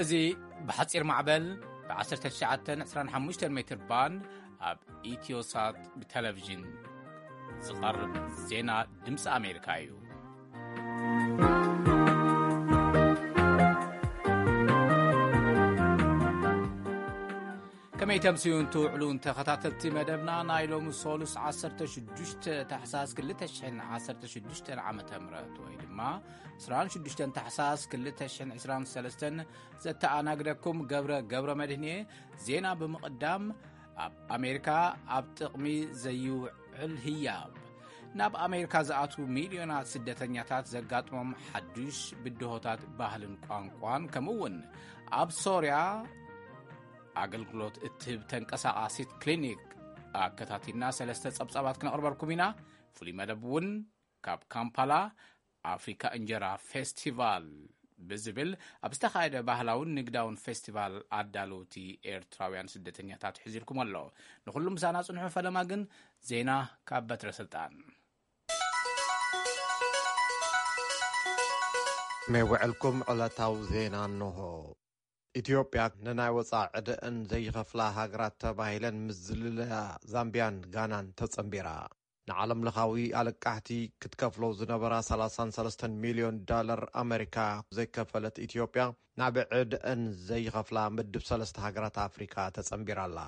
እዚ ብሓጺር ማዕበል ብ19 25 ሜትር ባንድ ኣብ ኢትዮሳት ብቴሌቪዥን ዝቐርብ ዜና ድምፂ ኣሜሪካ እዩ። ከመይ ተምስዩን ትውዕሉን ተኸታተልቲ መደብና፣ ናይ ሎሚ ሶሉስ 16 ታሕሳስ 2016 ዓመተ ምህረት ወይ ድማ 26 ታሕሳስ 2023 ዘተኣናግደኩም ገብረ ገብረ መድህን እየ። ዜና ብምቕዳም፣ ኣብ ኣሜሪካ ኣብ ጥቕሚ ዘይውዕል ህያብ፣ ናብ ኣሜሪካ ዝኣትዉ ሚልዮናት ስደተኛታት ዘጋጥሞም ሓዱሽ ብድሆታት ባህልን ቋንቋን፣ ከምኡ እውን ኣብ ሶርያ ኣገልግሎት እትህብ ተንቀሳቓሲት ክሊኒክ ኣከታቲልና ሰለስተ ጸብጻባት ክነቕርበልኩም ኢና። ፍሉይ መደብ እውን ካብ ካምፓላ ኣፍሪካ እንጀራ ፌስቲቫል ብዝብል ኣብ ዝተኻየደ ባህላውን ንግዳውን ፌስቲቫል ኣዳለውቲ ኤርትራውያን ስደተኛታት ሒዙልኩም ኣሎ። ንኹሉም ምሳና ጽንሑ። ፈለማ ግን ዜና ካብ በትረ ስልጣን። መይ ውዕልኩም ዕለታዊ ዜና እንሆ። ኢትዮጵያ ንናይ ወፃኢ ዕደአን ዘይኸፍላ ሃገራት ተባሂለን ምስ ዝልለያ ዛምቢያን ጋናን ተጸንቢራ። ንዓለም ለኻዊ ኣለቃሕቲ ክትከፍሎ ዝነበራ 33 ሚልዮን ዳለር ኣመሪካ ዘይከፈለት ኢትዮጵያ፣ ናብ ዕደአን ዘይኸፍላ ምድብ ሰለስተ ሃገራት ኣፍሪካ ተጸንቢራ ኣላ።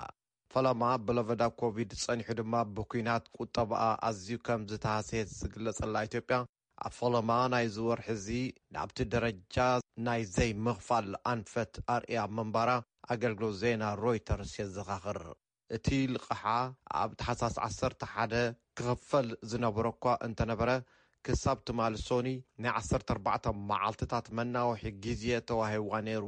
ፈለማ ብለበዳ ኮቪድ ጸኒሑ ድማ ብኲናት ቁጠባኣ ኣዝዩ ከም ዝተሃስየት ዝግለጸላ ኢትዮጵያ፣ ኣብ ፈለማ ናይዚ ወርሒ እዚ ናብቲ ደረጃ ናይ ዘይምኽፋል ኣንፈት ኣርእያ ምንባራ ኣገልግሎት ዜና ሮይተርስ የዘኻኽር። እቲ ልቓሓ ኣብ ታሕሳስ 11 ክኽፈል ዝነበሮ እኳ እንተነበረ፣ ክሳብ ትማሊ ሶኒ ናይ 14 መዓልትታት መናውሒ ግዜ ተዋሂብዋ ነይሩ።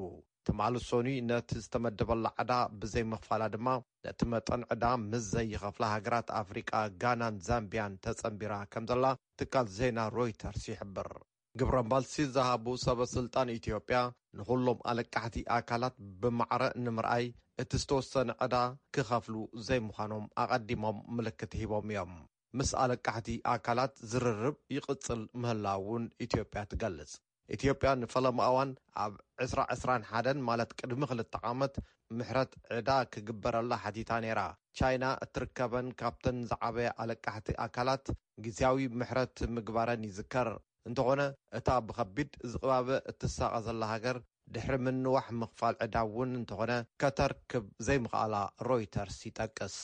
ትማሊ ሶኒ ነቲ ዝተመደበላ ዕዳ ብዘይምኽፋላ ድማ፣ ነቲ መጠን ዕዳ ምስ ዘይኸፍላ ሃገራት ኣፍሪቃ ጋናን ዛምቢያን ተጸንቢራ ከም ዘላ ትካል ዜና ሮይተርስ ይሕብር። ግብረ መልሲ ዝሃቡ ሰበ ስልጣን ኢትዮጵያ፣ ንኹሎም ኣለቃሕቲ ኣካላት ብማዕረ ንምርኣይ፣ እቲ ዝተወሰነ ዕዳ ክኸፍሉ ዘይምዃኖም ኣቐዲሞም ምልክት ሂቦም እዮም። ምስ ኣለቃሕቲ ኣካላት ዝርርብ ይቕጽል ምህላው እውን ኢትዮጵያ ትገልጽ። ኢትዮጵያ ንፈለማ እዋን ኣብ 2021፣ ማለት ቅድሚ ክልተ ዓመት፣ ምሕረት ዕዳ ክግበረላ ሓቲታ ነይራ። ቻይና እትርከበን ካብተን ዝዓበያ ኣለቃሕቲ ኣካላት ግዝያዊ ምሕረት ምግባረን ይዝከር። እንተኾነ፣ እታ ብኸቢድ ዝቕባበ እትሳቐ ዘላ ሃገር፣ ድሕሪ ምንዋሕ ምኽፋል ዕዳ እውን እንተኾነ፣ ከተርክብ ዘይምኽኣላ ሮይተርስ ይጠቅስ።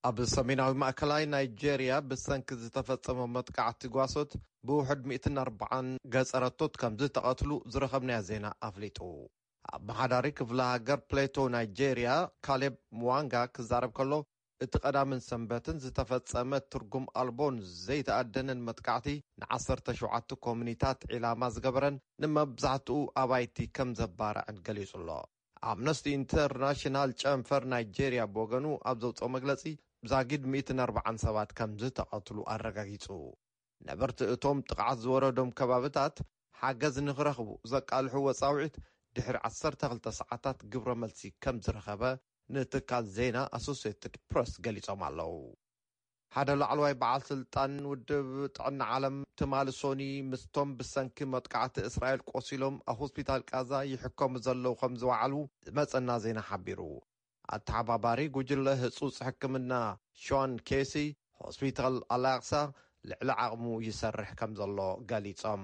ኣብ ሰሜናዊ ማእከላይ ናይጄርያ ብሰንኪ ዝተፈጸመ መጥቃዕቲ ጓሶት ብውሕድ 140 ገጸረቶት ከም ዝተቐትሉ ዝረኸብናዮ ዜና ኣፍሊጡ። ኣመሓዳሪ ክፍለ ሃገር ፕሌቶ ናይጄርያ ካሌብ ሙዋንጋ ክዛረብ ከሎ፣ እቲ ቀዳምን ሰንበትን ዝተፈጸመ ትርጉም ኣልቦን ዘይተኣደነን መጥቃዕቲ ን17 ኮሙኒታት ዒላማ ዝገበረን ንመብዛሕትኡ ኣባይቲ ከም ዘባርዐን ገሊጹ ኣሎ። ኣምነስቲ ኢንተርናሽናል ጨንፈር ናይጄርያ ብወገኑ ኣብ ዘውፅኦ መግለፂ፣ ዛጊድ 140 ሰባት ከም ዝተቐትሉ ኣረጋጊጹ። ነበርቲ እቶም ጥቕዓት ዝወረዶም ከባብታት ሓገዝ ንኽረኽቡ ዘቃልሑ ወጻውዒት ድሕሪ 12 ሰዓታት ግብረ መልሲ ከም ዝረኸበ ንትካል ዜና ኣሶሲየትድ ፕረስ ገሊጾም ኣለዉ። ሓደ ላዕለዋይ በዓል ስልጣን ውድብ ጥዕና ዓለም ትማሊ ሶኒ ምስቶም ብሰንኪ መጥቃዕቲ እስራኤል ቆሲሎም ኣብ ሆስፒታል ቃዛ ይሕከሙ ዘለዉ ከም ዝወዓሉ ዝመጸና ዜና ሓቢሩ። ኣተሓባባሪ ጉጅለ ህጹጽ ሕክምና ሾን ኬሲ፣ ሆስፒታል ኣላቅሳ ልዕሊ ዓቕሙ ይሰርሕ ከም ዘሎ ገሊጾም።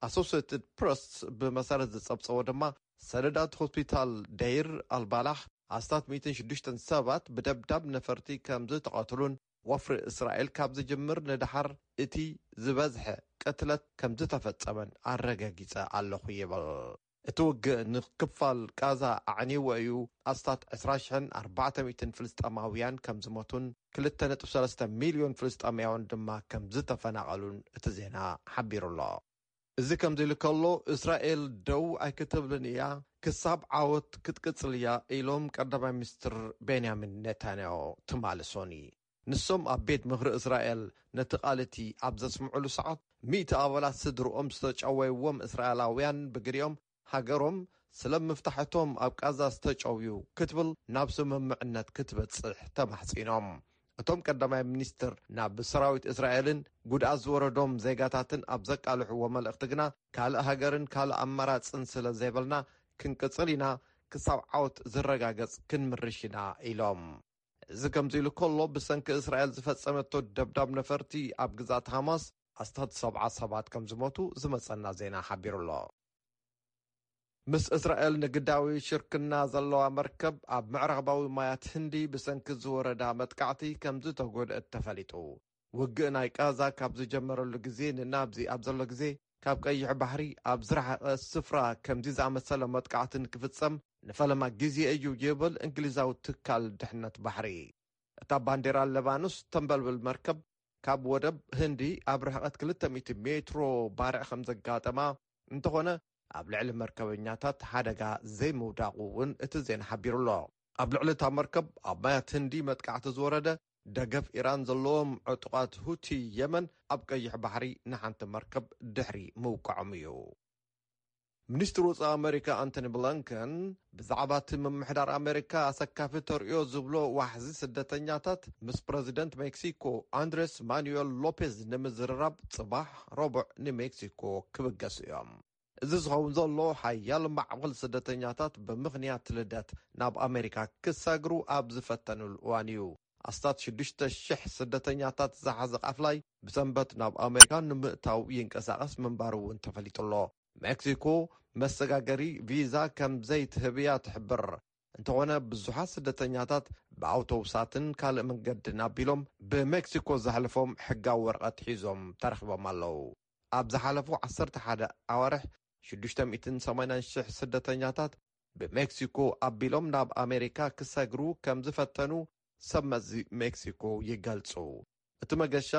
ኣሶሴትድ ፕረስ ብመሰረት ዝጸብጸቦ ድማ፣ ሰነዳት ሆስፒታል ደይር ኣልባላሕ ኣስታት 106 ሰባት ብደብዳብ ነፈርቲ ከም ዝተቐትሉን፣ ወፍሪ እስራኤል ካብ ዝጅምር ንደሓር እቲ ዝበዝሐ ቅትለት ከም ዝተፈጸመን ኣረጋጊጸ ኣለኹ ይብል። እቲ ውግእ ንክፋል ቃዛ ኣዕንይዎ እዩ። ኣስታት 20,400 ፍልስጤማውያን ከም ዝሞቱን 2.3 ሚልዮን ፍልስጤማውያን ድማ ከም ዝተፈናቐሉን እቲ ዜና ሓቢሩ ኣሎ። እዚ ከምዚ ኢሉ ከሎ፣ እስራኤል ደው ኣይክትብልን እያ፣ ክሳብ ዓወት ክትቅጽል እያ ኢሎም ቀዳማይ ሚኒስትር ቤንያሚን ኔታንያሁ ትማሊ ሶኒ። ንሶም ኣብ ቤት ምኽሪ እስራኤል ነቲ ቃል እቲ ኣብ ዘስምዑሉ ሰዓት፣ ሚእቲ ኣባላት ስድርኦም ዝተጨወይዎም እስራኤላውያን ብግዲኦም ሃገሮም ስለ ምፍታሕ እቶም ኣብ ቃዛ ዝተጨውዩ ክትብል ናብ ስምምዕነት ክትበጽሕ ተማሕጺኖም። እቶም ቀዳማይ ሚኒስትር ናብ ሰራዊት እስራኤልን ጉድኣት ዝወረዶም ዜጋታትን ኣብ ዘቃልሕዎ መልእኽቲ ግና፣ ካልእ ሃገርን ካልእ ኣማራጽን ስለ ዘይብልና ክንቅጽል ኢና፣ ክሳብ ዓወት ዝረጋገጽ ክንምርሽ ኢና ኢሎም። እዚ ከምዚ ኢሉ ከሎ፣ ብሰንኪ እስራኤል ዝፈጸመቶ ደብዳብ ነፈርቲ ኣብ ግዛት ሃማስ ኣስታት ሰብዓ ሰባት ከም ዝሞቱ ዝመጸና ዜና ሓቢሩ ኣሎ። ምስ እስራኤል ንግዳዊ ሽርክና ዘለዋ መርከብ ኣብ ምዕራባዊ ማያት ህንዲ ብሰንኪ ዝወረዳ መጥቃዕቲ ከም ዝተጎድአት ተፈሊጡ። ውግእ ናይ ቃዛ ካብ ዝጀመረሉ ግዜ ንናብዚ ኣብ ዘሎ ግዜ፣ ካብ ቀይሕ ባሕሪ ኣብ ዝረሓቐ ስፍራ ከምዚ ዝኣመሰለ መጥቃዕቲ ንክፍጸም ንፈለማ ግዜ እዩ ይብል እንግሊዛዊ ትካል ድሕነት ባሕሪ። እታ ባንዴራ ለባኖስ ተንበልብል መርከብ ካብ ወደብ ህንዲ ኣብ ርሕቐት ክልተ ሚእቲ ሜትሮ ባርዕ ከም ዘጋጠማ፣ እንተኾነ ኣብ ልዕሊ መርከበኛታት ሓደጋ ዘይምውዳቑ እውን እቲ ዜና ሓቢሩ ኣሎ። ኣብ ልዕሊ እታ መርከብ ኣብ ማያት ህንዲ መጥቃዕቲ ዝወረደ፣ ደገፍ ኢራን ዘለዎም ዕጡቓት ሁቲ የመን ኣብ ቀይሕ ባሕሪ ንሓንቲ መርከብ ድሕሪ ምውቃዖም እዩ። ሚኒስትሪ ወጻኢ ኣመሪካ ኣንቶኒ ብሊንከን ብዛዕባ እቲ ምምሕዳር ኣመሪካ ኣሰካፊ ተርእዮ ዝብሎ ዋሕዚ ስደተኛታት ምስ ፕረዚደንት ሜክሲኮ ኣንድሬስ ማኑኤል ሎፔዝ ንምዝርራብ ጽባሕ ረቡዕ ንሜክሲኮ ክብገሱ እዮም። እዚ ዝኸውን ዘሎ ሓያል ማዕበል ስደተኛታት ብምኽንያት ልደት ናብ ኣመሪካ ክሰግሩ ኣብ ዝፈተኑሉ እዋን እዩ። ኣስታት ሽዱሽተ ሽሕ ስደተኛታት ዝሓዘ ቃፍላይ ብሰንበት ናብ ኣመሪካ ንምእታው ይንቀሳቐስ ምንባሩ እውን ተፈሊጡ ኣሎ። ሜክሲኮ መሰጋገሪ ቪዛ ከም ዘይትህብ እያ ትሕብር። እንተኾነ ብዙሓት ስደተኛታት ብኣውቶቡሳትን ካልእ መንገድን ኣቢሎም ብሜክሲኮ ዘሕልፎም ሕጋዊ ወረቐት ሒዞም ተረኺቦም ኣለዉ። ኣብ ዝሓለፉ ዓሰርተ ሓደ ኣዋርሕ ሽዱሽተ ሚእትን ሰማንያን ሽሕ ስደተኛታት ብሜክሲኮ ኣቢሎም ናብ ኣሜሪካ ክሰግሩ ከም ዝፈተኑ ሰብ መዚ ሜክሲኮ ይገልጹ። እቲ መገሻ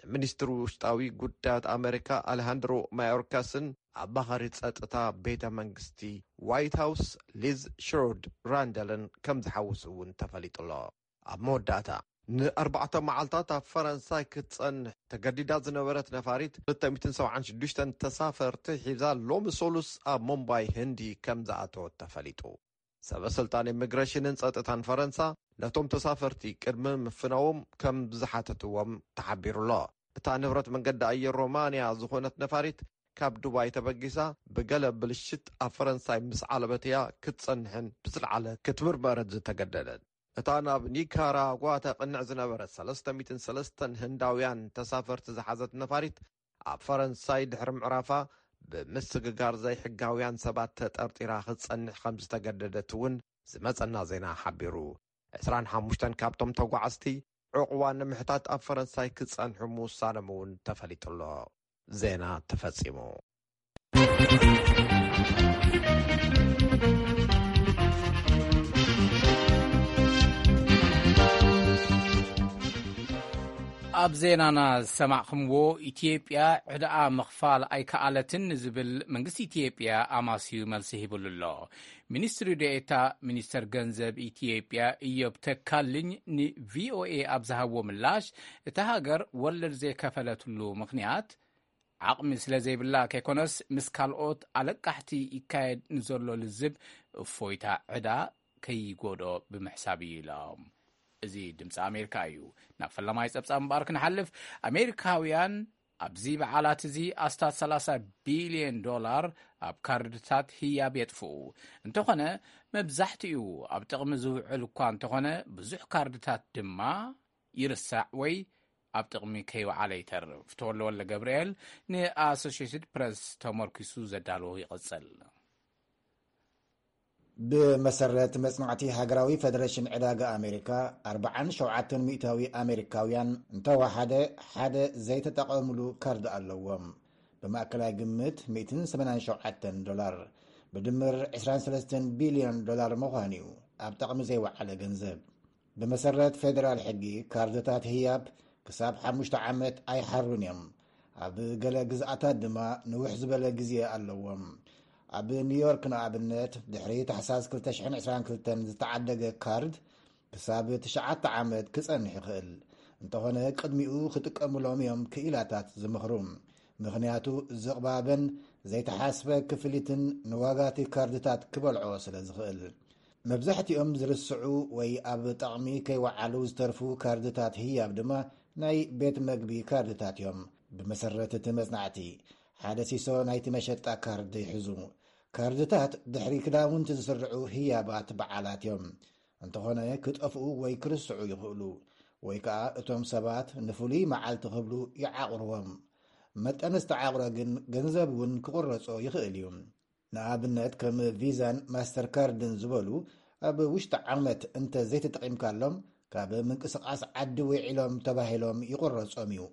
ንሚኒስትሪ ውሽጣዊ ጉዳያት ኣመሪካ ኣሌሃንድሮ ማዮርካስን ኣማኻሪ ጸጥታ ቤተ መንግስቲ ዋይት ሃውስ ሊዝ ሽሮድ ራንደልን ከም ዝሓውስ እውን ተፈሊጡ ኣሎ። ኣብ መወዳእታ፣ ንኣርባዕተ መዓልታት ኣብ ፈረንሳይ ክትጸንሕ ተገዲዳ ዝነበረት ነፋሪት ክልተ ሚእትን ሰብዓን ሽዱሽተን ተሳፈርቲ ሒዛ ሎሚ ሰሉስ ኣብ ሙምባይ ህንዲ ከም ዝኣተወት ተፈሊጡ። ሰበ ስልጣን ኢሚግሬሽንን ጸጥታን ፈረንሳ ነቶም ተሳፈርቲ ቅድሚ ምፍናዎም ከም ዝሓተትዎም ተሓቢሩ ኣሎ። እታ ንብረት መንገዲ ኣየር ሮማንያ ዝኾነት ነፋሪት ካብ ዱባይ ተበጊሳ ብገለ ብልሽት ኣብ ፈረንሳይ ምስ ዓለበት እያ ክትጸንሕን ብዝለዓለ ክትምርመርን ዝተገደደት። እታ ናብ ኒካራጓ ተቕንዕ ዝነበረት ሰለስተ ሚእትን ሰለስተን ህንዳውያን ተሳፈርቲ ዝሓዘት ነፋሪት ኣብ ፈረንሳይ ድሕሪ ምዕራፋ ብምስግጋር ዘይሕጋውያን ሰባት ተጠርጢራ ክትጸንሕ ከም ዝተገደደት እውን ዝመጸና ዜና ሓቢሩ። ዕስራን ሓሙሽተን ካብቶም ተጓዓዝቲ ዕቑባ ንምሕታት ኣብ ፈረንሳይ ክጸንሑ ምውሳኖም እውን ተፈሊጡ ኣሎ። ዜና ተፈጺሙ። ኣብ ዜናና ዝሰማዕኹምዎ፣ ኢትዮጵያ ዕዳኣ ምኽፋል ኣይከኣለትን ንዝብል መንግስቲ ኢትዮጵያ ኣማስዩ መልሲ ሂብሉ ኣሎ። ሚኒስትሪ ዴኤታ ሚኒስተር ገንዘብ ኢትዮጵያ ኢዮብ ተካልኝ ንቪኦኤ ኣብ ዝሃብዎ ምላሽ፣ እታ ሃገር ወለድ ዘይከፈለትሉ ምኽንያት ዓቕሚ ስለ ዘይብላ ከይኮነስ፣ ምስ ካልኦት ኣለቃሕቲ ይካየድ ንዘሎ ልዝብ እፎይታ ዕዳ ከይጎድኦ ብምሕሳብ እዩ ኢሎም። እዚ ድምፂ ኣሜሪካ እዩ። ናብ ፈለማይ ጸብጻብ እምበኣር ክንሓልፍ፣ ኣሜሪካውያን ኣብዚ በዓላት እዚ ኣስታት ሰላሳ ቢልዮን ዶላር ኣብ ካርድታት ህያብ የጥፍኡ። እንተኾነ፣ መብዛሕትኡ ኣብ ጥቕሚ ዝውዕል እኳ እንተኾነ፣ ብዙሕ ካርድታት ድማ ይርሳዕ ወይ ኣብ ጥቕሚ ከይወዓለ ይተርፍ። ተወልደ ወልደ ገብርኤል ንኣሶሽየትድ ፕረስ ተመርኪሱ ዘዳለዎ ይቕጽል። ብመሰረት መጽናዕቲ ሃገራዊ ፈደረሽን ዕዳጋ ኣሜሪካ፣ ኣርብዓን ሸውዓተን ሚእታዊ ኣሜሪካውያን እንተወሓደ ሓደ ዘይተጠቐምሉ ካርድ ኣለዎም። ብማእከላይ ግምት ሚእትን ሰማንያን ሸውዓተን ዶላር፣ ብድምር ዕስራን ሰለስተን ቢልዮን ዶላር ምዃን እዩ ኣብ ጥቕሚ ዘይወዓለ ገንዘብ። ብመሰረት ፌደራል ሕጊ፣ ካርድታት ህያብ ክሳብ ሓሙሽተ ዓመት ኣይሓሩን እዮም። ኣብ ገለ ግዝኣታት ድማ ንውሕ ዝበለ ግዜ ኣለዎም። ኣብ ኒውዮርክ ንኣብነት፣ ድሕሪ ታሕሳስ ክልተ ሽሕን ዕስራን ክልተን ዝተዓደገ ካርድ ክሳብ ትሽዓተ ዓመት ክጸንሕ ይኽእል። እንተኾነ፣ ቅድሚኡ ክጥቀሙሎም እዮም ክኢላታት ዝምኽሩ። ምኽንያቱ፣ ዝቕባበን ዘይተሓስበ ክፍሊትን ንዋጋቲ ካርድታት ክበልዖ ስለ ዝኽእል። መብዛሕትኦም ዝርስዑ ወይ ኣብ ጥቕሚ ከይወዓሉ ዝተርፉ ካርድታት ህያብ ድማ ናይ ቤት መግቢ ካርድታት እዮም። ብመሰረት እቲ መጽናዕቲ፣ ሓደ ሲሶ ናይቲ መሸጣ ካርድ ይሕዙ። ካርድታት ድሕሪ ክዳውንቲ ዝስርዑ ህያባት በዓላት እዮም። እንተኾነ ክጠፍኡ ወይ ክርስዑ ይኽእሉ፣ ወይ ከኣ እቶም ሰባት ንፍሉይ መዓልቲ ክብሉ ይዓቕርዎም። መጠን ዝተዓቕረ ግን ገንዘብ እውን ክቕረጾ ይኽእል እዩ። ንኣብነት ከም ቪዛን ማስተርካርድን ዝበሉ ኣብ ውሽጢ ዓመት እንተ ዘይተጠቒምካሎም ካብ ምንቅስቓስ ዓዲ ውዒሎም ተባሂሎም ይቕረጾም እዩ።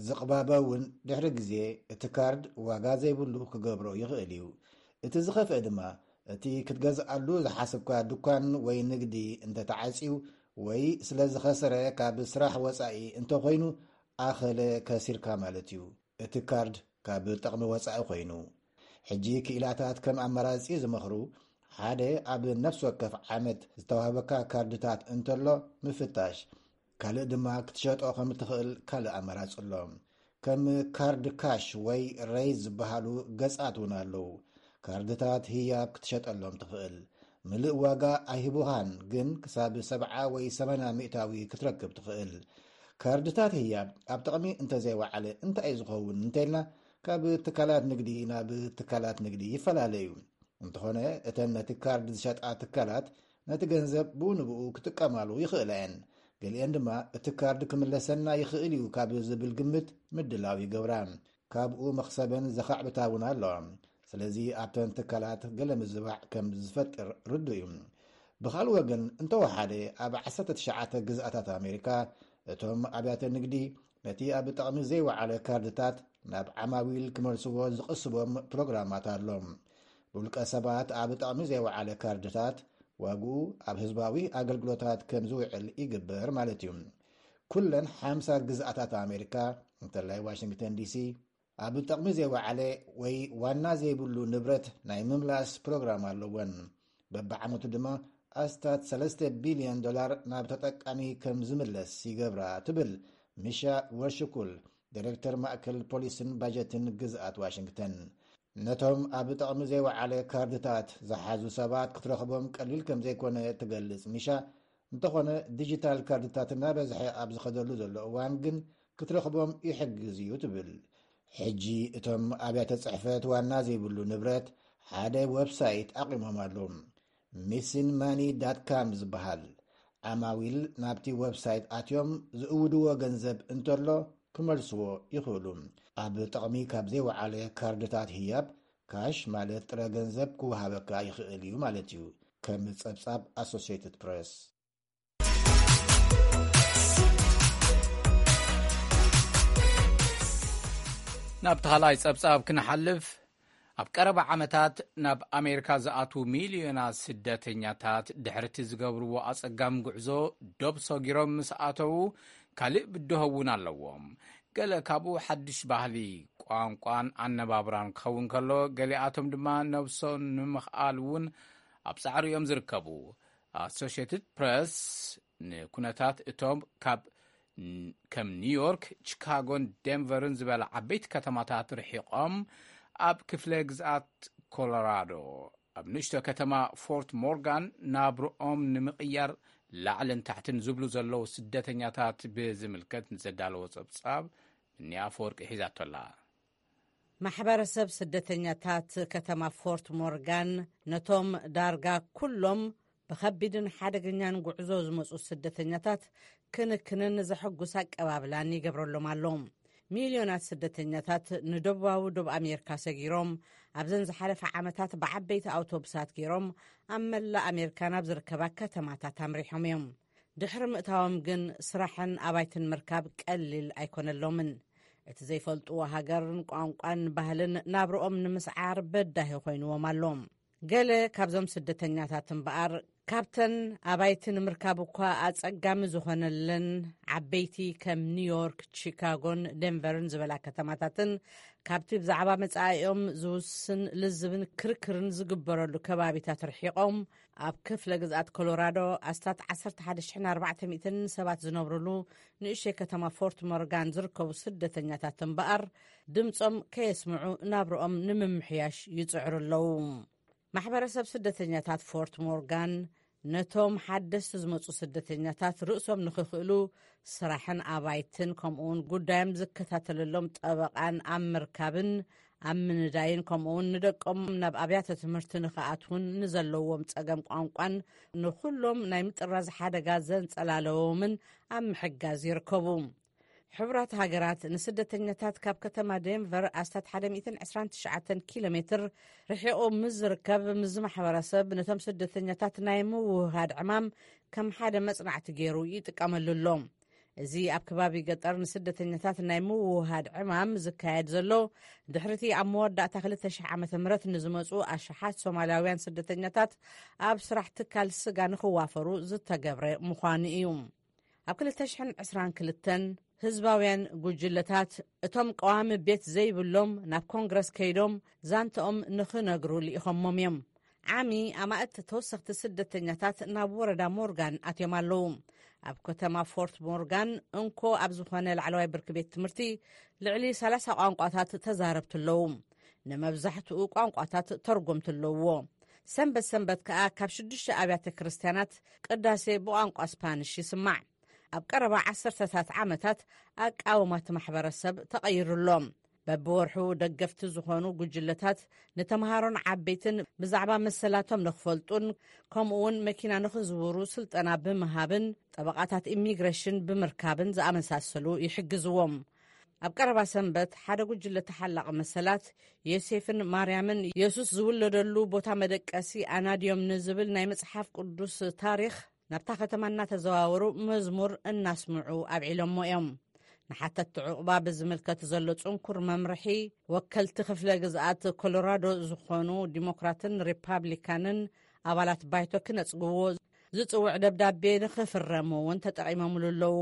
ዝቕባበ እውን ድሕሪ ግዜ እቲ ካርድ ዋጋ ዘይብሉ ክገብሮ ይኽእል እዩ። እቲ ዝኸፍአ ድማ እቲ ክትገዝኣሉ ዝሓሰብካ ድኳን ወይ ንግዲ እንተተዓጽዩ ወይ ስለ ዝኸሰረ ካብ ስራሕ ወጻኢ እንተኾይኑ ኣኸለ ከሲርካ ማለት እዩ። እቲ ካርድ ካብ ጥቕሚ ወጻኢ ኮይኑ። ሕጂ ክኢላታት ከም ኣማራጺ ዝመኽሩ ሓደ ኣብ ነፍሲ ወከፍ ዓመት ዝተዋህበካ ካርድታት እንተሎ ምፍታሽ፣ ካልእ ድማ ክትሸጦ ከም እትኽእል ካልእ ኣማራጺ ኣሎ። ከም ካርድ ካሽ ወይ ሬይዝ ዝበሃሉ ገጻት እውን ኣለዉ። ካርድታት ህያብ ክትሸጠሎም ትኽእል። ምልእ ዋጋ ኣይህቡኻን፣ ግን ክሳብ ሰብዓ ወይ ሰማንያ ሚእታዊ ክትረክብ ትኽእል። ካርድታት ህያብ ኣብ ጥቕሚ እንተዘይወዓለ እንታይ እዩ ዝኸውን እንተኢልና፣ ካብ ትካላት ንግዲ ናብ ትካላት ንግዲ ይፈላለ እዩ። እንተኾነ እተን ነቲ ካርድ ዝሸጣ ትካላት ነቲ ገንዘብ ብኡ ንብኡ ክጥቀማሉ ይኽእላ እየን። ገሊአን ድማ እቲ ካርድ ክምለሰና ይኽእል እዩ ካብ ዝብል ግምት ምድላው ይገብራ። ካብኡ መኽሰበን ዘኻዕብታ እውን ኣለዋ። ስለዚ ኣብተን ትካላት ገለ ምዝባዕ ከም ዝፈጥር ርዱእ እዩ። ብኻልእ ወገን እንተወሓደ ኣብ ዓሰርተ ትሽዓተ ግዝኣታት ኣሜሪካ እቶም ኣብያተ ንግዲ ነቲ ኣብ ጥቕሚ ዘይወዓለ ካርድታት ናብ ዓማዊል ክመልስዎ ዝቕስቦም ፕሮግራማት ኣሎ። ብውልቀ ሰባት ኣብ ጥቕሚ ዘይወዓለ ካርድታት ዋግኡ ኣብ ህዝባዊ ኣገልግሎታት ከም ዝውዕል ይግበር ማለት እዩ። ኩለን ሓምሳ ግዝኣታት ኣሜሪካ እንተላይ ዋሽንግተን ዲሲ ኣብ ጥቕሚ ዘይወዓለ ወይ ዋና ዘይብሉ ንብረት ናይ ምምላስ ፕሮግራም ኣለወን። በብዓመቱ ድማ ኣስታት ሰለስተ ቢልዮን ዶላር ናብ ተጠቃሚ ከም ዝምለስ ይገብራ ትብል ሚሻ ወርሽኩል፣ ዲሬክተር ማእከል ፖሊስን ባጀትን ግዝኣት ዋሽንግተን። ነቶም ኣብ ጥቕሚ ዘይወዓለ ካርድታት ዝሓዙ ሰባት ክትረኽቦም ቀሊል ከም ዘይኮነ ትገልጽ ሚሻ፣ እንተኾነ ዲጂታል ካርድታት እናበዝሐ ኣብ ዝኸደሉ ዘሎ እዋን ግን ክትረኽቦም ይሕግዝ እዩ ትብል። ሕጂ እቶም ኣብያተ ጽሕፈት ዋና ዘይብሉ ንብረት ሓደ ዌብሳይት ኣቑሞም ኣለዉ። ሚሲን ማኒ ዳት ካም ዝበሃል። ዓማዊል ናብቲ ዌብሳይት ኣትዮም ዝእውድዎ ገንዘብ እንተሎ ክመልስዎ ይኽእሉ። ኣብ ጥቕሚ ካብ ዘይወዓለ ካርድታት ህያብ ካሽ ማለት ጥረ ገንዘብ ክወሃበካ ይኽእል እዩ ማለት እዩ፣ ከም ጸብጻብ ኣሶሲየትድ ፕሬስ። ናብ ተኻልኣይ ጸብጻብ ክንሓልፍ፣ ኣብ ቀረባ ዓመታት ናብ ኣሜሪካ ዝኣትዉ ሚልዮናት ስደተኛታት ድሕርቲ ዝገብርዎ ኣጸጋሚ ጉዕዞ ዶብ ሰጊሮም ምስ ኣተዉ ካልእ ብድሆ እውን ኣለዎም። ገለ ካብኡ ሓድሽ ባህሊ፣ ቋንቋን ኣነባብራን ክኸውን ከሎ፣ ገሊኣቶም ድማ ነብሶም ንምኽኣል እውን ኣብ ጻዕሪ እዮም ዝርከቡ። ኣሶሽየትድ ፕረስ ንኩነታት እቶም ካብ ከም ኒውዮርክ፣ ቺካጎን ዴንቨርን ዝበላ ዓበይቲ ከተማታት ርሒቖም ኣብ ክፍለ ግዝኣት ኮሎራዶ ኣብ ንእሽቶ ከተማ ፎርት ሞርጋን ናብርኦም ንምቕያር ላዕልን ታሕትን ዝብሉ ዘለዉ ስደተኛታት ብዝምልከት ንዘዳለዎ ጸብጻብ ምንያ ኣፈወርቂ ሒዛቶላ። ማሕበረሰብ ስደተኛታት ከተማ ፎርት ሞርጋን ነቶም ዳርጋ ኩሎም ብኸቢድን ሓደገኛን ጉዕዞ ዝመጹ ስደተኛታት ክንክንን ዘሐጉስ ኣቀባብላን ይገብረሎም ኣሎ። ሚልዮናት ስደተኛታት ንደቡባዊ ዶብ ኣሜሪካ ሰጊሮም ኣብዘን ዝሓለፈ ዓመታት ብዓበይቲ ኣውቶቡሳት ገይሮም ኣብ መላእ ኣሜሪካ ናብ ዝርከባ ከተማታት ኣምሪሖም እዮም። ድሕሪ ምእታዎም ግን ስራሕን ኣባይትን ምርካብ ቀሊል ኣይኮነሎምን። እቲ ዘይፈልጥዎ ሃገርን ቋንቋን ባህልን ናብርኦም ንምስዓር በዳሂ ኮይንዎም ኣሎ። ገለ ካብዞም ስደተኛታት እምበኣር ካብተን ኣባይቲ ንምርካብ እኳ ኣጸጋሚ ዝኾነለን ዓበይቲ ከም ኒውዮርክ፣ ቺካጎን ዴንቨርን ዝበላ ከተማታትን ካብቲ ብዛዕባ መጻኢኦም ዝውስን ልዝብን ክርክርን ዝግበረሉ ከባቢታት ርሒቖም ኣብ ክፍለ ግዝኣት ኮሎራዶ ኣስታት ዓሰርተ ሓደ ሽሕን ኣርባዕተ ሚእትን ሰባት ዝነብሩሉ ንእሽተይ ከተማ ፎርት ሞርጋን ዝርከቡ ስደተኛታት እምበኣር ድምጾም ከየስምዑ ናብርኦም ንምምሕያሽ ይጽዕሩ ኣለዉ። ማሕበረሰብ ስደተኛታት ፎርት ሞርጋን ነቶም ሓደስቲ ዝመጹ ስደተኛታት ርእሶም ንኽኽእሉ ስራሕን ኣባይትን ከምኡውን ጉዳዮም ዝከታተለሎም ጠበቓን ኣብ ምርካብን ኣብ ምንዳይን ከምኡውን ንደቆም ናብ ኣብያተ ትምህርቲ ንኽኣትውን ንዘለዎም ጸገም ቋንቋን ንኹሎም ናይ ምጥራዝ ሓደጋ ዘንጸላለዎምን ኣብ ምሕጋዝ ይርከቡ። ሕቡራት ሃገራት ንስደተኛታት ካብ ከተማ ዴንቨር ኣስታት ሓደ ሚእትን ዕስራን ትሽዓተን ኪሎ ሜትር ርሒቑ ምስ ዝርከብ፣ ምስ ማሕበረሰብ ነቶም ስደተኛታት ናይ ምውህሃድ ዕማም ከም ሓደ መጽናዕቲ ገይሩ ይጥቀመሉ ኣሎ። እዚ ኣብ ከባቢ ገጠር ንስደተኛታት ናይ ምውህሃድ ዕማም ዝካየድ ዘሎ፣ ድሕሪቲ ኣብ መወዳእታ ክልተ ሽሕ ዓመተ ምህረት ንዝመጹ ኣሽሓት ሶማላውያን ስደተኛታት ኣብ ስራሕ ትካል ስጋ ንኽዋፈሩ ዝተገብረ ምዃኑ እዩ። ኣብ ክልተ ሽሕን ዕስራን ክልተን ህዝባውያን ጉጅለታት፣ እቶም ቀዋሚ ቤት ዘይብሎም፣ ናብ ኮንግረስ ከይዶም ዛንተኦም ንኽነግሩ ልኢኾሞም እዮም። ዓሚ ኣማእት ተወሰኽቲ ስደተኛታት ናብ ወረዳ ሞርጋን ኣትዮም ኣለዉ። ኣብ ከተማ ፎርት ሞርጋን እንኮ ኣብ ዝኾነ ላዕለዋይ ብርኪ ቤት ትምህርቲ ልዕሊ ሰላሳ ቋንቋታት ተዛረብቲ ኣለዉ። ንመብዛሕትኡ ቋንቋታት ተርጎምቲ ኣለውዎ። ሰንበት ሰንበት ከኣ ካብ ሽዱሽተ ኣብያተ ክርስትያናት ቅዳሴ ብቋንቋ ስፓንሽ ይስማዕ። ኣብ ቀረባ ዓሰርተታት ዓመታት ኣቃውማት ማሕበረሰብ ተቐይሩ ኣሎ። በብወርሑ ደገፍቲ ዝኾኑ ጉጅለታት ንተምሃሮን ዓበይትን ብዛዕባ መሰላቶም ንኽፈልጡን ከምኡውን መኪና ንኽዝውሩ ስልጠና ብምሃብን ጠበቓታት ኢሚግሬሽን ብምርካብን ዝኣመሳሰሉ ይሕግዝዎም። ኣብ ቀረባ ሰንበት ሓደ ጉጅለ ተሓላቒ መሰላት ዮሴፍን ማርያምን የሱስ ዝውለደሉ ቦታ መደቀሲ ኣናድዮም ንዝብል ናይ መጽሓፍ ቅዱስ ታሪኽ ናብታ ከተማ እናተዘዋወሩ መዝሙር እናስምዑ ኣብዒሎሞ እዮም። ንሓተትቲ ዕቑባ ብዝምልከት ዘሎ ጽንኩር መምርሒ፣ ወከልቲ ክፍለ ግዝኣት ኮሎራዶ ዝኾኑ ዲሞክራትን ሪፓብሊካንን ኣባላት ባይቶ ክነጽግዎ ዝጽውዕ ደብዳቤ ንኽፍረሙ እውን ተጠቒሞምሉ ኣለዉ።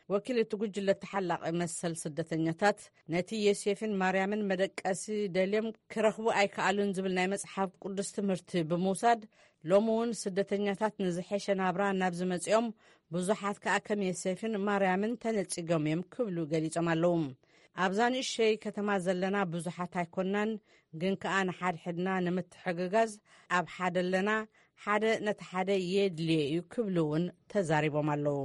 ወኪል እቲ ጉጅለ ተሓላቒ መሰል ስደተኛታት፣ ነቲ ዮሴፍን ማርያምን መደቀሲ ደልዮም ክረኽቡ ኣይከኣሉን ዝብል ናይ መጽሓፍ ቅዱስ ትምህርቲ ብምውሳድ፣ ሎሚ እውን ስደተኛታት ንዝሐሸ ናብራ ናብ ዝመጽኦም፣ ብዙሓት ከኣ ከም ዮሴፍን ማርያምን ተነጺጎም እዮም ክብሉ ገሊጾም ኣለዉ። ኣብዛ ንእሸይ ከተማ ዘለና ብዙሓት ኣይኮናን፣ ግን ከኣ ንሓድሕድና ንምትሕግጋዝ ኣብ ሓደ ኣለና፣ ሓደ ነቲ ሓደ የድልዮ እዩ ክብሉ እውን ተዛሪቦም ኣለዉ።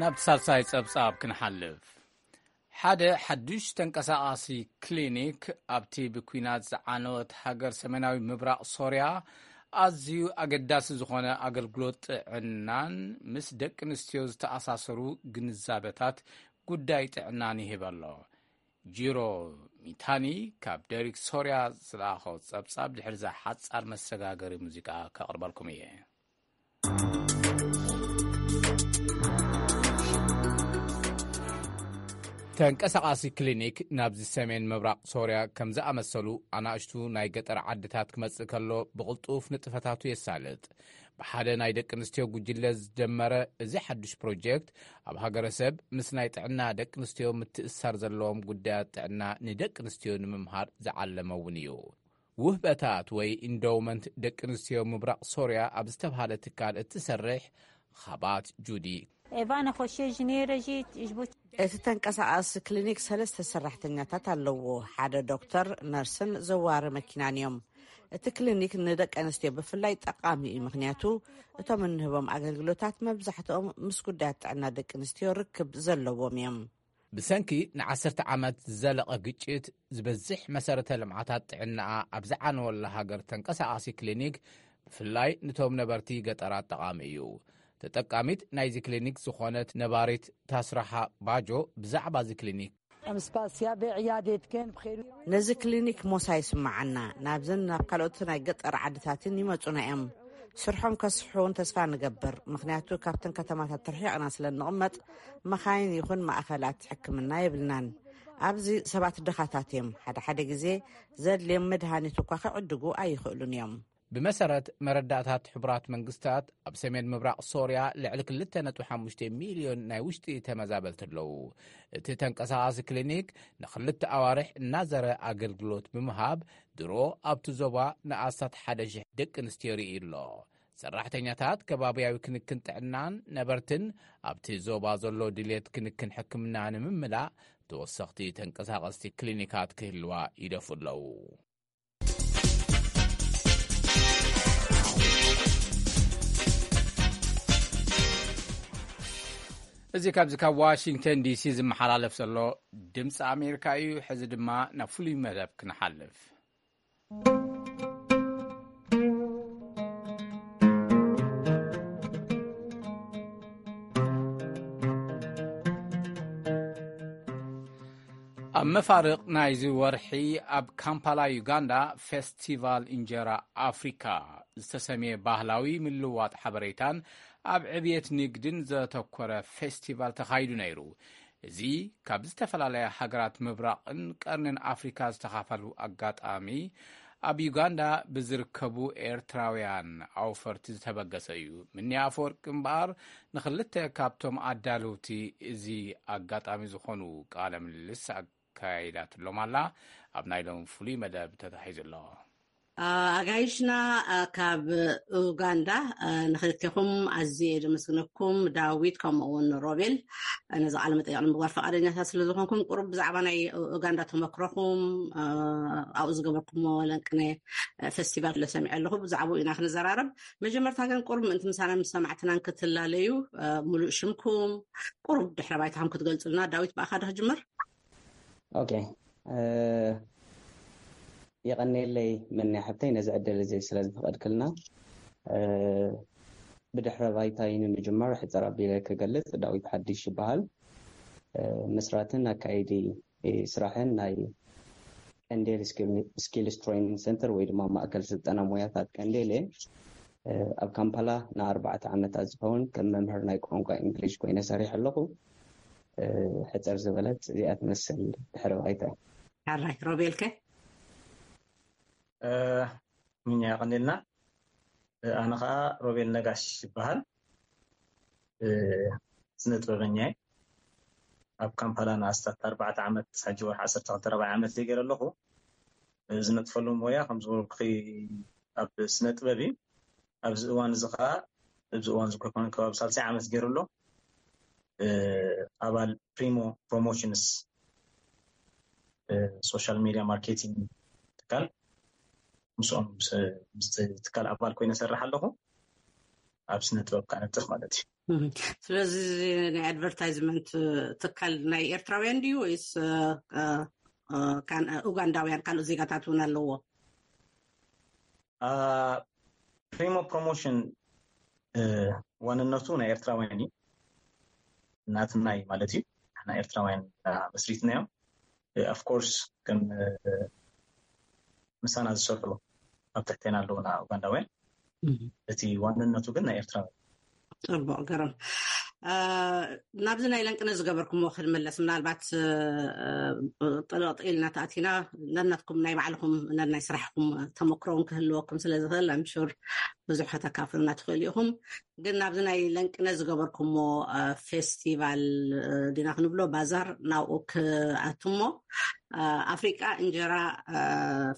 ናብ ሳልሳይ ጸብጻብ ክንሓልፍ። ሓደ ሓዱሽ ተንቀሳቓሲ ክሊኒክ ኣብቲ ብኲናት ዝዓነወት ሃገር ሰሜናዊ ምብራቕ ሶርያ ኣዝዩ ኣገዳሲ ዝኾነ ኣገልግሎት ጥዕናን ምስ ደቂ ኣንስትዮ ዝተኣሳሰሩ ግንዛበታት ጉዳይ ጥዕናን ይህብ ኣሎ። ጂሮ ሚታኒ ካብ ደሪክ ሶርያ ዝለኣኾ ጸብጻብ ድሕሪ እዛ ሓጻር መሰጋገሪ ሙዚቃ ከቕርበልኩም እየ። ተንቀሳቓሲ ክሊኒክ ናብዚ ሰሜን ምብራቕ ሶርያ ከም ዝኣመሰሉ ኣናእሽቱ ናይ ገጠር ዓድታት ክመጽእ ከሎ ብቕልጡፍ ንጥፈታቱ የሳልጥ። ብሓደ ናይ ደቂ ኣንስትዮ ጉጅለ ዝጀመረ እዚ ሓድሽ ፕሮጀክት ኣብ ሃገረሰብ ምስ ናይ ጥዕና ደቂ ኣንስትዮ ምትእስሳር ዘለዎም ጉዳያት ጥዕና ንደቂ ኣንስትዮ ንምምሃር ዝዓለመ እውን እዩ። ውህበታት ወይ ኢንዶውመንት ደቂ ኣንስትዮ ምብራቕ ሶርያ ኣብ ዝተብሃለ ትካል እትሰርሕ ኻባት ጁዲ። ኤቫነ ኾሼ ዥኔረ ጂ ጅቡቲ። እቲ ተንቀሳቓሲ ክሊኒክ ሰለስተ ሰራሕተኛታት ኣለዎ። ሓደ ዶክተር፣ ነርስን ዘዋሪ መኪናን እዮም። እቲ ክሊኒክ ንደቂ ኣንስትዮ ብፍላይ ጠቓሚ እዩ፣ ምኽንያቱ እቶም እንህቦም ኣገልግሎታት መብዛሕትኦም ምስ ጉዳያት ጥዕና ደቂ ኣንስትዮ ርክብ ዘለዎም እዮም። ብሰንኪ ንዓሰርተ ዓመት ዝዘለቐ ግጭት፣ ዝበዝሕ መሰረተ ልምዓታት ጥዕናኣ ኣብ ዝዓነወላ ሃገር ተንቀሳቓሲ ክሊኒክ ብፍላይ ንቶም ነበርቲ ገጠራት ጠቓሚ እዩ። ተጠቃሚት ናይዚ ክሊኒክ ዝኾነት ነባሪት ታስራሓ ባጆ ብዛዕባ እዚ ክሊኒክ። ነዚ ክሊኒክ ሞሳ ይስምዓና። ናብዘን ናብ ካልኦት ናይ ገጠር ዓድታትን ይመጹና እዮም። ስርሖም ከስፍሑ እውን ተስፋ ንገብር፣ ምኽንያቱ ካብተን ከተማታት ርሒቕና ስለ እንቕመጥ፣ መኻይን ይኹን ማእኸላት ሕክምና የብልናን። ኣብዚ ሰባት ድኻታት እዮም። ሓደ ሓደ ግዜ ዘድልዮም መድሃኒት እኳ ክዕድጉ ኣይኽእሉን እዮም። ብመሰረት መረዳእታት ሕቡራት መንግስታት፣ ኣብ ሰሜን ምብራቕ ሶርያ ልዕሊ ክልተ ነጥቢ ሓሙሽተ ሚልዮን ናይ ውሽጢ ተመዛበልቲ ኣለዉ። እቲ ተንቀሳቓሲ ክሊኒክ ንኽልተ ኣዋርሕ እናዘረ ኣገልግሎት ብምሃብ፣ ድሮ ኣብቲ ዞባ ንኣስታት ሓደ ሽሕ ደቂ ኣንስትዮ ርኢ ኣሎ። ሰራሕተኛታት ከባብያዊ ክንክን ጥዕናን ነበርትን ኣብቲ ዞባ ዘሎ ድሌት ክንክን ሕክምና ንምምላእ ተወሰኽቲ ተንቀሳቐስቲ ክሊኒካት ክህልዋ ይደፉ ኣለዉ። እዚ ካብዚ ካብ ዋሽንግተን ዲሲ ዝመሓላለፍ ዘሎ ድምፂ ኣሜሪካ እዩ። ሕዚ ድማ ናብ ፍሉይ መደብ ክንሓልፍ። ኣብ መፋርቕ ናይዚ ወርሒ ኣብ ካምፓላ ዩጋንዳ ፌስቲቫል እንጀራ ኣፍሪካ ዝተሰምየ ባህላዊ ምልዋጥ ሓበሬታን ኣብ ዕብየት ንግድን ዘተኮረ ፌስቲቫል ተኻይዱ ነይሩ። እዚ ካብ ዝተፈላለያ ሃገራት ምብራቕን ቀርንን ኣፍሪካ ዝተኻፈሉ ኣጋጣሚ ኣብ ዩጋንዳ ብዝርከቡ ኤርትራውያን ኣውፈርቲ ዝተበገሰ እዩ። ምኒ ኣፈወርቂ እምበኣር ንክልተ ካብቶም ኣዳለውቲ እዚ ኣጋጣሚ ዝኾኑ ቃለ ምልልስ ኣካይዳትሎም ኣላ። ኣብ ናይ ሎም ፍሉይ መደብ ተታሒዙ ኣሎ። ኣጋይሽና ካብ ኡጋንዳ ንክልቴኹም ኣዝየ የመስግነኩም። ዳዊት ከምኡ እውን ሮቤል ነዚ ቃለ መጠይቕ ንምግባር ፈቃደኛታት ስለ ዝኾንኩም፣ ቁሩብ ብዛዕባ ናይ ኡጋንዳ ተመክሮኹም፣ ኣብኡ ዝገበርኩሞ ለንቅነ ፌስቲቫል ለሰሚዐ ኣለኹ። ብዛዕባኡ ኢና ክንዘራረብ። መጀመርታ ግን ቁሩብ ምእንቲ ምሳና ምስ ሰማዕትናን ክትላለዩ፣ ሙሉእ ሽምኩም ቁሩብ ድሕረ ባይታኹም ክትገልጹልና። ዳዊት፣ ብኣኻ ዶ ክጅምር? ኦኬ። የቐኔለይ መን ሓብተይ ነዚ ዕድል እዚ ስለ ዝፈቐድክልና። ብድሕረ ባይታይ ንምጅማር ሕፅር ኣቢለ ክገልፅ፣ ዳዊት ሓድሽ ይበሃል። ምስራትን ኣካይዲ ስራሕን ናይ ቀንዴል ስኪልስ ትሬኒንግ ሰንተር ወይ ድማ ማእከል ስልጠና ሞያታት ቀንዴል እየ። ኣብ ካምፓላ ንኣርባዕተ ዓመታት ዝኸውን ከም መምህር ናይ ቋንቋ እንግሊሽ ኮይነ ሰሪሕ ኣለኹ። ሕፅር ዝበለት እዚኣ ትመስል ድሕረ ባይታ። ሕራይ ሮቤልከ? ምኛ ያቐንልና። ኣነ ከዓ ሮቤል ነጋሽ ይበሃል። ስነ ጥበበኛ እየ። ኣብ ካምፓላ ንኣስታት ኣርባዕተ ዓመት፣ ሓጂ ወርሒ ዓሰርተ ክልተ ራብዓይ ዓመት ዘይገይረ ኣለኹ። ዝነጥፈሉ ሞያ ከም ዝበልኩኺ ኣብ ስነ ጥበብ እዩ። ኣብዚ እዋን እዚ ከዓ፣ ኣብዚ እዋን እዚ ኮነ ከባቢ ሳልሳይ ዓመት ገይሩ ኣሎ። ኣባል ፕሪሞ ፕሮሞሽንስ ሶሻል ሚዲያ ማርኬቲንግ ትካል፣ ምስኦም ምስ ትካል ኣባል ኮይነ ሰርሕ ኣለኹ። ኣብ ስነ ጥበብ ካነጥፍ ማለት እዩ። ስለዚ ናይ ኣድቨርታይዝመንት ትካል ናይ ኤርትራውያን ድዩ ወይስ ኡጋንዳውያን ካልኦት ዜጋታት እውን ኣለዎ? ፕሪሞ ፕሮሞሽን ዋንነቱ ናይ ኤርትራውያን እዩ፣ ናትና እዩ ማለት እዩ። ንሕና ኤርትራውያን መስሪትናዮም። ኦፍኮርስ ከም ምሳና ዝሰርሑ ኣብ ትሕቴና ኣለውና ኡጋንዳውያን። እቲ ዋንነቱ ግን ናይ ኤርትራውያን። ፅቡቅ፣ ገረም። ናብዚ ናይ ለንቅነ ዝገበርኩምዎ ክንመለስ፣ ምናልባት ጥልቕጥ ኢልና ተኣቲና ነናትኩም ናይ ባዕልኹም ነናይ ስራሕኩም ተመክሮውን ክህልወኩም ስለ ዝኽእል ኣምሹር ብዙሕ ከተካፍሉና ትኽእሉ ኢኹም። ግን ናብዚ ናይ ለንቅነ ዝገበርኩምዎ ፌስቲቫል ዲና ክንብሎ ባዛር ናብኡ ክኣቱሞ ኣፍሪቃ እንጀራ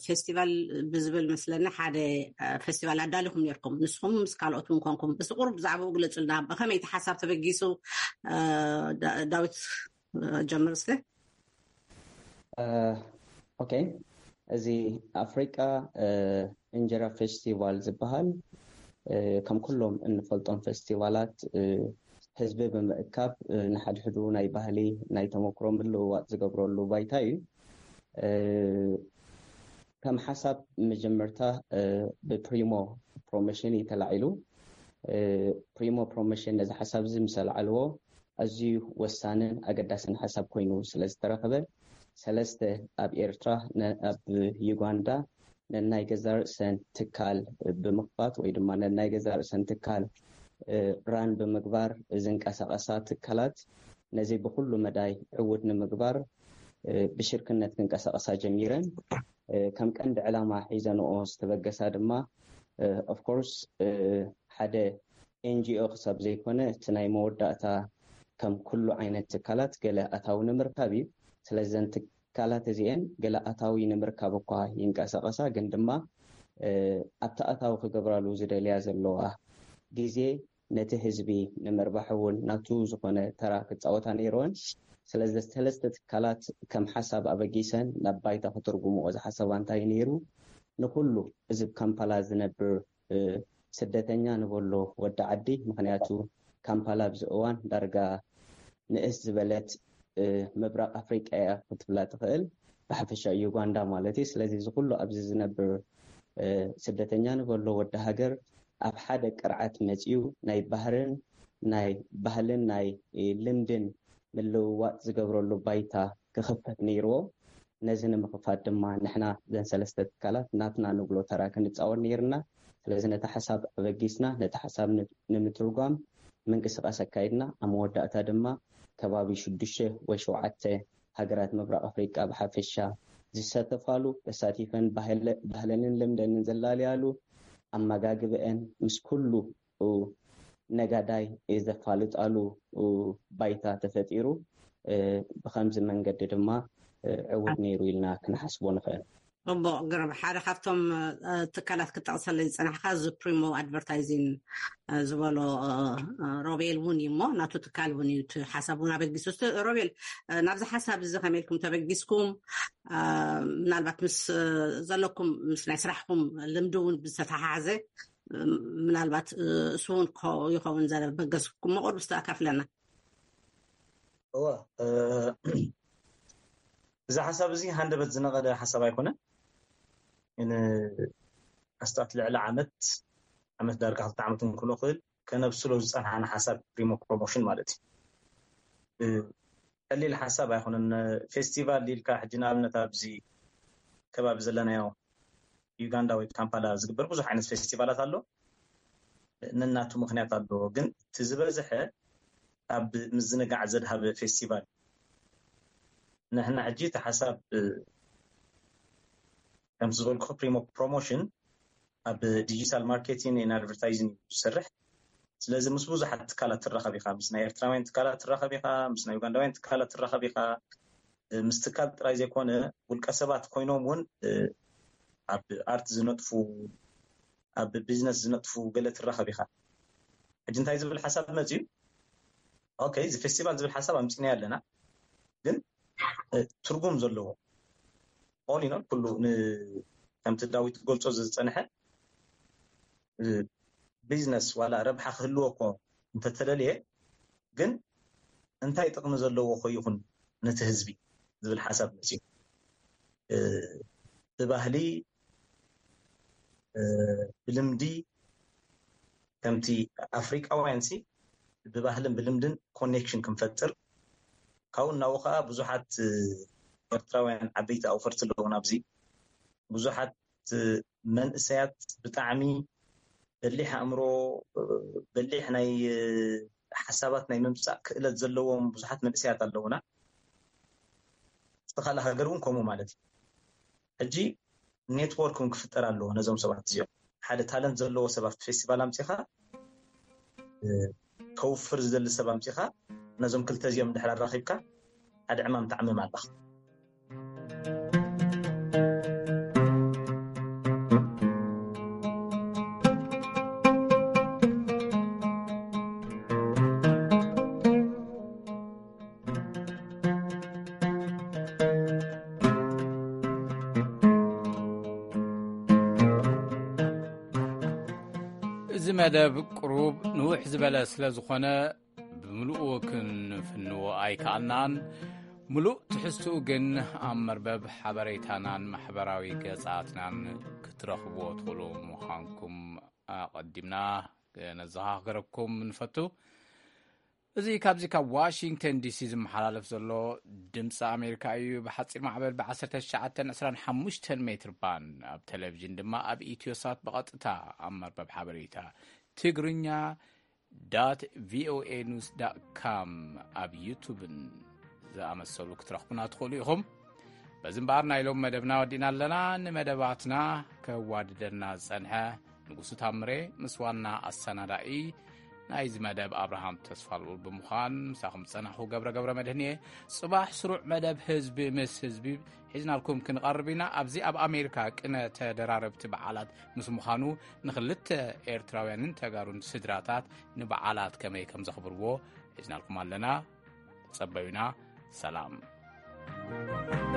ፌስቲቫል ብዝብል መስለኒ ሓደ ፌስቲቫል ኣዳሊኹም ነርኩም፣ ንስኹም ምስ ካልኦት እውን ኮንኩም። እስቲ ቁሩብ ብዛዕባኡ ግለጹልና። ብኸመይ እቲ ሓሳብ ተበጊሱ? ዳዊት ጀምር እስቲ። ኦኬ፣ እዚ ኣፍሪቃ እንጀራ ፌስቲቫል ዝበሃል ከም ኩሎም እንፈልጦም ፌስቲቫላት ህዝቢ ብምእካብ ንሓድሕዱ ናይ ባህሊ ናይ ተመክሮ ምልውዋጥ ዝገብረሉ ባይታ እዩ። ከም ሓሳብ መጀመርታ ብፕሪሞ ፕሮሞሽን እዩ ተላዒሉ። ፕሪሞ ፕሮሞሽን ነዚ ሓሳብ እዚ ምስ ኣልዓልዎ ኣዝዩ ወሳንን ኣገዳስን ሓሳብ ኮይኑ ስለ ዝተረኸበ ሰለስተ ኣብ ኤርትራ ኣብ ዩጋንዳ ነናይ ገዛ ርእሰን ትካል ብምኽፋት ወይ ድማ ነናይ ገዛ ርእሰን ትካል ራን ብምግባር ዝንቀሳቐሳ ትካላት ነዚ ብኩሉ መዳይ ዕውት ንምግባር ብሽርክነት ክንቀሳቐሳ ጀሚረን። ከም ቀንዲ ዕላማ ሒዘንኦ ዝተበገሳ ድማ ኦፍኮርስ ሓደ ኤንጂኦ ክሳብ ዘይኮነ እቲ ናይ መወዳእታ ከም ኩሉ ዓይነት ትካላት ገለ ኣታዊ ንምርካብ እዩ። ስለዚ እዘን ትካላት እዚአን ገለ ኣታዊ ንምርካብ እኳ ይንቀሳቐሳ፣ ግን ድማ ኣብቲ ኣታዊ ክገብራሉ ዝደልያ ዘለዋ ግዜ ነቲ ህዝቢ ንምርባሕ እውን ናቱ ዝኾነ ተራ ክፃወታ ነይርወን። ስለዚ ሰለስተ ትካላት ከም ሓሳብ ኣበጊሰን ናብ ባይታ ክትርጉምኦ ዝሓሰባ እንታይ ነይሩ? ንኩሉ እዚ ካምፓላ ዝነብር ስደተኛ ንበሎ ወዲ ዓዲ፣ ምክንያቱ ካምፓላ ኣብዚ እዋን ዳርጋ ንእስ ዝበለት ምብራቕ ኣፍሪቃ እያ ክትብላ ትኽእል፣ ብሓፈሻ ዩጋንዳ ማለት እዩ። ስለዚ እዚ ኩሉ ኣብዚ ዝነብር ስደተኛ ንበሎ ወዲ ሃገር ኣብ ሓደ ቅርዓት መፂኡ ናይ ባህርን ናይ ባህልን ናይ ልምድን ምልውዋጥ ዝገብረሉ ባይታ ክኽፈት ነይርዎ። ነዚ ንምኽፋት ድማ ንሕና ዘን ሰለስተ ትካላት ናትና ንብሎ ተራ ክንፃወት ነይርና። ስለዚ ነቲ ሓሳብ ኣበጊስና ነቲ ሓሳብ ንምትርጓም ምንቅስቃስ ኣካይድና። ኣብ መወዳእታ ድማ ከባቢ ሽዱሽተ ወይ ሸውዓተ ሃገራት ምብራቕ ኣፍሪቃ ብሓፈሻ ዝሳተፋሉ፣ ተሳቲፈን ባህለንን ልምደንን ዘላልያሉ፣ ኣመጋግበአን ምስ ኩሉ ነጋዳይ ዘፋልጣሉ ባይታ ተፈጢሩ። ብከምዚ መንገዲ ድማ ዕውት ነይሩ ኢልና ክንሓስቦ ንኽእል። ፅቡቕ ግርም። ሓደ ካብቶም ትካላት ክጠቕሰለይ ዝፀናሕካ እዚ ፕሪሞ ኣድቨርታይዚንግ ዝበሎ ሮቤል እውን እዩ እሞ ናቱ ትካል እውን እዩ። ሓሳብ እውን ኣበጊሱ። ሮቤል፣ ናብዚ ሓሳብ እዚ ከመይ ኢልኩም ተበጊስኩም? ምናልባት ምስ ዘለኩም ምስ ናይ ስራሕኩም ልምዲ እውን ብዝተተሓሓዘ ምናልባት እሱ እውን ይኸውን ዘበገስኩም መቆር ብዝተኣካፍለና። እወ፣ እዚ ሓሳብ እዚ ሃንደበት ዝነቐለ ሓሳብ ኣይኮነ። ኣስታት ልዕሊ ዓመት ዓመት ዳርጋ ክልተ ዓመት እንክሎ ክእል ከነብስሎ ዝፀንሓና ሓሳብ ፕሪሞ ፕሮሞሽን ማለት እዩ። ቀሊል ሓሳብ ኣይኮነን። ፌስቲቫል ኢልካ ሕጂ ንኣብነት ኣብዚ ከባቢ ዘለናዮ ዩጋንዳ ወይ ካምፓላ ዝግበር ብዙሕ ዓይነት ፌስቲቫላት ኣሎ። ነናቱ ምክንያት ኣለዎ፣ ግን እቲ ዝበዝሐ ኣብ ምዝንጋዕ ዘድሃበ ፌስቲቫል። ንሕና ሕጂ እቲ ሓሳብ ከምቲ ዝበልኩ ፕሪሞ ፕሮሞሽን ኣብ ዲጂታል ማርኬቲንግ ን ኣድቨርታይዚንግ እዩ ዝሰርሕ። ስለዚ ምስ ብዙሓት ትካላት ትራኸብ ኢኻ፣ ምስ ናይ ኤርትራውያን ትካላት ትራኸብ ኢኻ፣ ምስ ናይ ዩጋንዳውያን ትካላት ትራኸብ ኢኻ። ምስ ትካል ጥራይ ዘይኮነ ውልቀ ሰባት ኮይኖም እውን ኣብ ኣርት ዝነጥፉ፣ ኣብ ቢዝነስ ዝነጥፉ ገለ ትራኸብ ኢኻ። ሕጂ እንታይ ዝብል ሓሳብ መፅዩ? ኦኬ፣ እዚ ፌስቲቫል ዝብል ሓሳብ ኣምፂናዮ ኣለና፣ ግን ትርጉም ዘለዎ ኦል ኢን ኦል ኩሉ ከምቲ ዳዊት ገልፆ ዝፀንሐ ቢዝነስ ዋላ ረብሓ ክህልዎ እኮ እንተተደልየ፣ ግን እንታይ ጥቕሚ ዘለዎ ኮ ይኹን ነቲ ህዝቢ ዝብል ሓሳብ መፅዩ። ብባህሊ ብልምዲ ከምቲ ኣፍሪቃውያን ሲ ብባህልን ብልምድን ኮኔክሽን ክንፈጥር፣ ካብኡ እናው ከዓ ብዙሓት ኤርትራውያን ዓበይቲ ኣውፈርቲ ኣለዉ ናብዚ። ብዙሓት መንእሰያት ብጣዕሚ በሊሕ ኣእምሮ፣ በሊሕ ናይ ሓሳባት ናይ ምምፃእ ክእለት ዘለዎም ብዙሓት መንእሰያት ኣለዉና። እቲ ካልእ ሃገር እውን ከምኡ ማለት እዩ። ሕጂ ኔትወርክ እውን ክፍጠር ኣለዎ ነዞም ሰባት እዚኦም። ሓደ ታለንት ዘለዎ ሰብ ኣብቲ ፌስቲቫል ኣምፂኻ፣ ከውፍር ዝደሊ ሰብ ኣምፂኻ፣ ነዞም ክልተ እዚኦም እንድሕር ኣራኺብካ ሓደ ዕማም ትዓምም ኣለኻ። እዚ መደብ ቅሩብ ንውሕ ዝበለ ስለ ዝኾነ ብምሉኡ ክንፍንዎ ኣይከኣልናን። ምሉእ ትሕዝትኡ ግን ኣብ መርበብ ሓበሬታናን ማሕበራዊ ገጻትናን ክትረኽብዎ ትኽእሉ ምዃንኩም ኣቐዲምና ነዘኻኽረኩም ንፈቱ። እዚ ካብዚ ካብ ዋሽንግተን ዲሲ ዝመሓላለፍ ዘሎ ድምፂ ኣሜሪካ እዩ። ብሓፂር ማዕበል ብ1925 ሜትር ባንድ ኣብ ቴሌቪዥን ድማ ኣብ ኢትዮሳት ብቐጥታ ኣብ መርበብ ሓበሬታ ትግርኛ ዳት ቪኦኤ ኒውስ ዳት ካም ኣብ ዩቱብን ዝኣመሰሉ ክትረኽቡና ትኽእሉ ኢኹም። በዚ እምበኣር ናይ ሎም መደብና ወዲእና ኣለና። ንመደባትና ከዋድደና ዝጸንሐ ንጉሱ ታምሬ ምስ ዋና ኣሰናዳኢ ናይዚ መደብ ኣብርሃም ተስፋልኡል ብምዃን ምሳኹም ዝጸናሕኩ ገብረ ገብረ መድህን እየ። ጽባሕ ስሩዕ መደብ ህዝቢ ምስ ህዝቢ ሒዝናልኩም ክንቐርብ ኢና። ኣብዚ ኣብ ኣሜሪካ ቅነ ተደራረብቲ በዓላት ምስ ምዃኑ ንኽልተ ኤርትራውያንን ተጋሩን ስድራታት ንበዓላት ከመይ ከም ዘኽብርዎ ሒዝናልኩም ኣለና። ጸበዩና። ሰላም።